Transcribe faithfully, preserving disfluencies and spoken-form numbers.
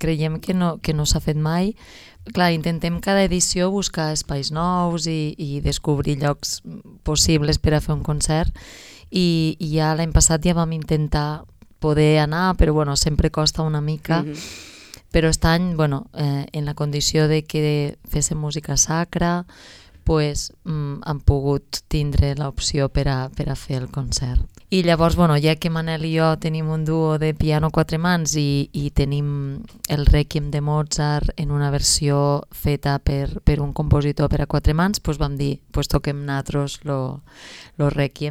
creiem que no, que no s'ha fet mai. Clar, intentem cada edició buscar espais nous i, i descobrir llocs possibles per a fer un concert i, i ja l'any passat ja vam intentar poder anar, però bueno, sempre costa una mica. Mm-hmm. Però aquest any, bueno, eh, en la condició de que féssim música sacra, pues, mm, han pogut tindre l'opció per a, per a fer el concert. I llavors, bueno, ja que Manel i jo tenim un duo de piano a quatre mans i, i tenim el Rèquiem de Mozart en una versió feta per, per un compositor per a quatre mans, pues vam dir, pues toquem nosaltres lo, lo Rèquiem